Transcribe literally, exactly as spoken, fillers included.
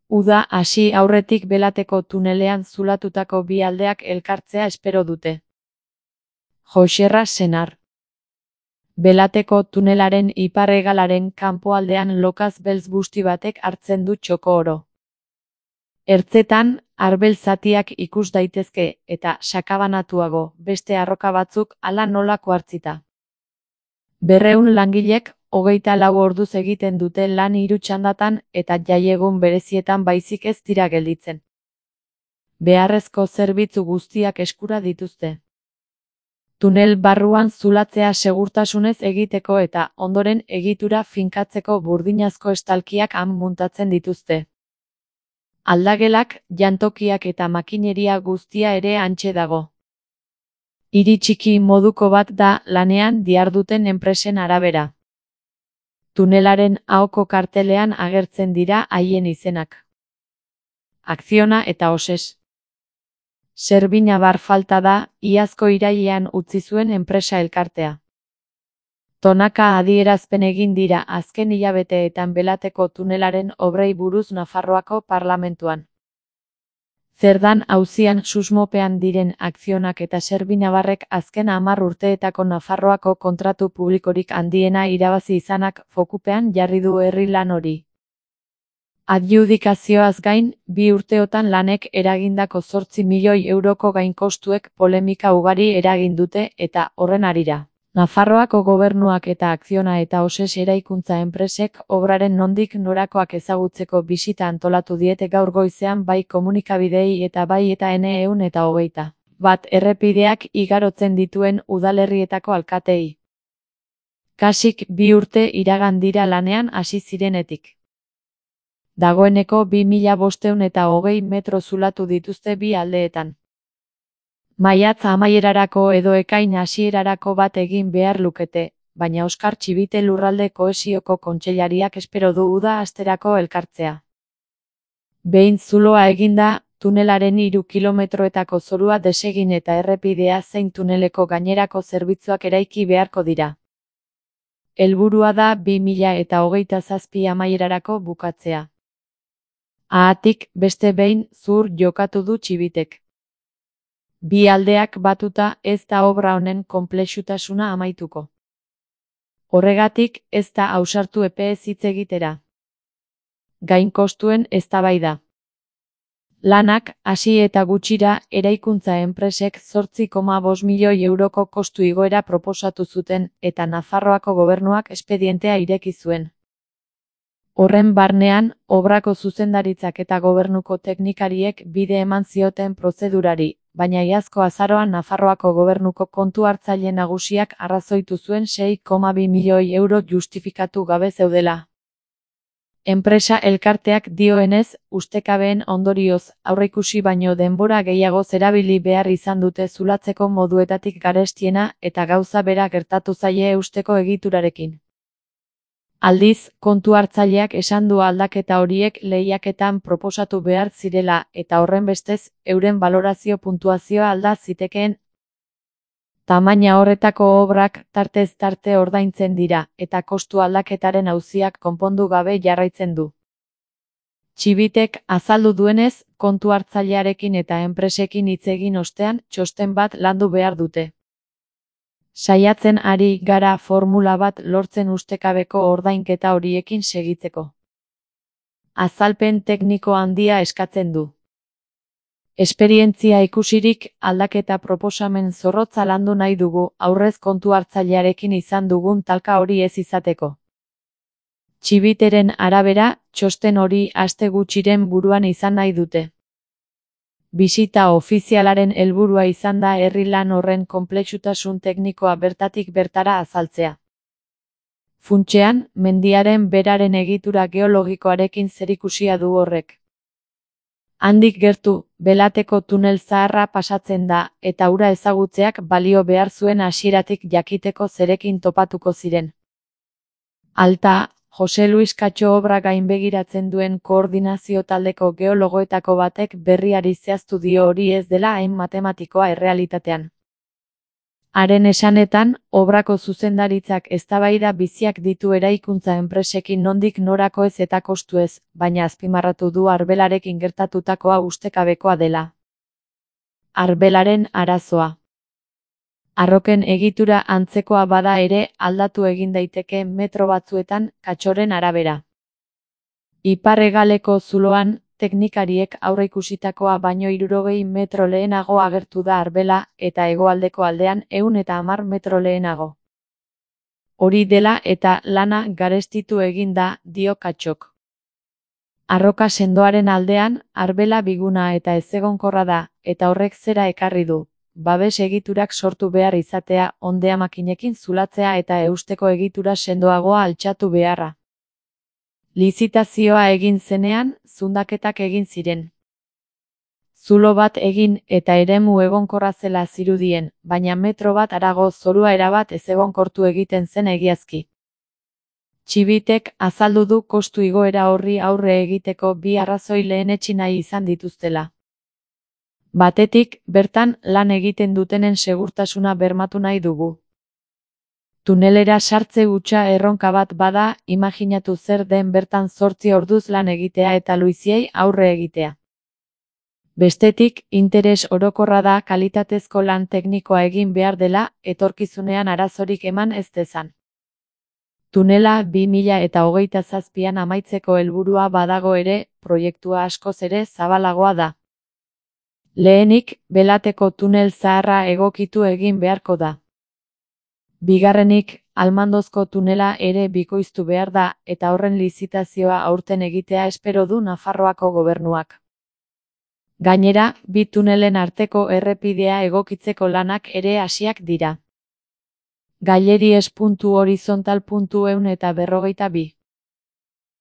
Uda hasi aurretik Belateko tunelean zulatutako bi aldeak elkartzea espero dute. Joxerra Senar. Belateko tunelaren ipar-hegalaren kanpoaldean lokaz beltz busti batek hartzen du txoko oro. Ertzetan, arbel zatiak ikus daitezke, eta sakabanatuago, beste arroka batzuk hala nola kuartzita. Berreun langilek, hogeita lau orduz egiten dute lan hiru txandatan eta jaiegun berezietan baizik ez dira gelditzen. Beharrezko zerbitzu guztiak eskura dituzte. Tunel barruan zulatzea segurtasunez egiteko eta ondoren egitura finkatzeko burdinazko estalkiak han muntatzen dituzte. Aldagelak, jantokiak eta makineria guztia ere hantxe dago. Hiri txiki moduko bat da lanean diharduten enpresen arabera. Tunelaren ahoko kartelean agertzen dira haien izenak. Akziona eta Oses. Zerbina bar falta da, iazko irailean utzi zuen enpresa elkartea. Tonaka adierazpen egin dira azken hilabeteetan Belateko tunelaren obrei buruz Nafarroako parlamentuan. Zerdan auzian susmopean diren Akzionak eta Zerbinabarrek azken hamar urteetako Nafarroako kontratu publikorik handiena irabazi izanak fokupean jarri du herri lan hori. Adjudikazioaz gain, bi urteotan lanek eragindako zortzi milioi euroko gainkostuek polemika ugari eragin dute eta horren harira. Nafarroako gobernuak eta Akziona eta Oses eraikuntza enpresek obraren nondik norakoak ezagutzeko bisita antolatu diete gaur goizean bai komunikabideei eta bai eta ene ehun eta hogeita bat errepideak igarotzen dituen udalerrietako alkateei. Kasik bi urte iragan dira lanean hasi zirenetik. Dagoeneko bi mila bostehun eta hogei metro zulatu dituzte bi aldeetan. Maiatz amaierarako edo ekain hasierarako bat egin behar lukete, baina Oskar Txibite Lurralde Kohesioko Kontseilariak espero du uda hasterako elkartzea. Behin zuloa eginda, tunelaren hiru kilometroetako zorua desegin eta errepidea zein tuneleko gainerako zerbitzuak eraiki beharko dira. Helburua da bi mila eta hogeita zazpi amaierarako bukatzea. Haatik, beste behin, zur jokatu du Txibitek. Bi aldeak batuta ez da obra honen konplexutasuna amaituko. Horregatik, ez da ausartu epeez hitz egitera. Gain kostuen eztabaida. Lanak, hasi eta gutxira, eraikuntza enpresek zortzi koma bost milioi euroko kostu igoera proposatu zuten eta Nafarroako gobernuak espedientea ireki zuen. Horren barnean, obrako zuzendaritzak eta gobernuko teknikariek bide eman zioten prozedurari, baina iazko azaroan Nafarroako gobernuko kontu hartzaile nagusiak arrazoitu zuen sei koma bi milioi euro justifikatu gabe zeudela. Enpresa elkarteak dioenez, ustekabeen ondorioz, aurreikusi baino denbora gehiago zerabili behar izan dute zulatzeko moduetatik garestiena eta gauza bera gertatu zaie eusteko egiturarekin. Aldiz, kontu hartzaileak esan du aldaketa horiek lehiaketan proposatu behar zirela eta horrenbestez, euren balorazio puntuazioa alda zitekeen. Tamaina horretako obrak tartez tarte ordaintzen dira eta kostu aldaketaren auziak konpondu gabe jarraitzen du. Txibitek azaldu duenez, kontu hartzailearekin eta enpresekin hitz egin ostean txosten bat landu behar dute. Saiatzen ari gara formula bat lortzen ustekabeko ordainketa horiekin segitzeko. Azalpen tekniko handia eskatzen du. Esperientzia ikusirik aldaketa proposamen zorrotza landu nahi dugu aurrez kontu hartzailearekin izan dugun talka hori ez izateko. Txibiteren arabera, txosten hori aste gutxiren buruan izan nahi dute. Bisita ofizialaren helburua izan da herri lan horren konplexutasun teknikoa bertatik bertara azaltzea. Funtsean, mendiaren beraren egitura geologikoarekin zerikusia du horrek. Handik gertu, Belateko tunel zaharra pasatzen da, eta hura ezagutzeak balio behar zuen hasieratik jakiteko zerekin topatuko ziren. Alta, Jose Luis Katxo obra gainbegiratzen duen koordinazio taldeko geologoetako batek berriari zehaztu dio hori ez dela hain matematikoa errealitatean. Haren esanetan, obrako zuzendaritzak eztabaida biziak ditu eraikuntza enpresekin nondik norakoez eta kostuez, baina azpimarratu du arbelarekin gertatutakoa ustekabekoa dela. Arbelaren arazoa. Arroken egitura antzekoa bada ere aldatu egin daiteke metro batzuetan katxoren arabera. Ipar-hegaleko zuloan, teknikariek aurreikusitakoa baino hirurogei metro lehenago agertu da arbela eta hegoaldeko aldean ehun eta hamar metro lehenago. Hori dela eta lana garestitu egin da, dio Katxok. Arroka sendoaren aldean, arbela biguna eta ezegonkorra da, eta horrek zera ekarri du. Babes egiturak sortu behar izatea, ondea makinekin zulatzea eta eusteko egitura sendoagoa altxatu beharra. Lizitazioa egin zenean, zundaketak egin ziren. Zulo bat egin eta eremu egonkorra zela zirudien, baina metro bat harago zorua erabat ezegonkortu egiten zen egiazki. Txibitek azaldu du kostu igoera horri aurre egiteko bi arrazoi lehenetsi nahi izan dituztela. Batetik, bertan lan egiten dutenen segurtasuna bermatu nahi dugu. Tunelera sartze hutsa erronka bat bada, imaginatu zer den bertan zortzi orduz lan egitea eta luiziei aurre egitea. Bestetik, interes orokorra da kalitatezko lan teknikoa egin behar dela, etorkizunean arazorik eman ez dezan. Tunela bi mila eta hogeita zazpian amaitzeko helburua badago ere, proiektua askoz ere zabalagoa da. Lehenik, Belateko tunel zaharra egokitu egin beharko da. Bigarrenik, Almandozko tunela ere bikoiztu behar da, eta horren lizitazioa aurten egitea espero du Nafarroako gobernuak. Gainera, bi tunelen arteko errepidea egokitzeko lanak ere hasiak dira. Gaileries puntu horizontal puntu ehun eta berrogeita bi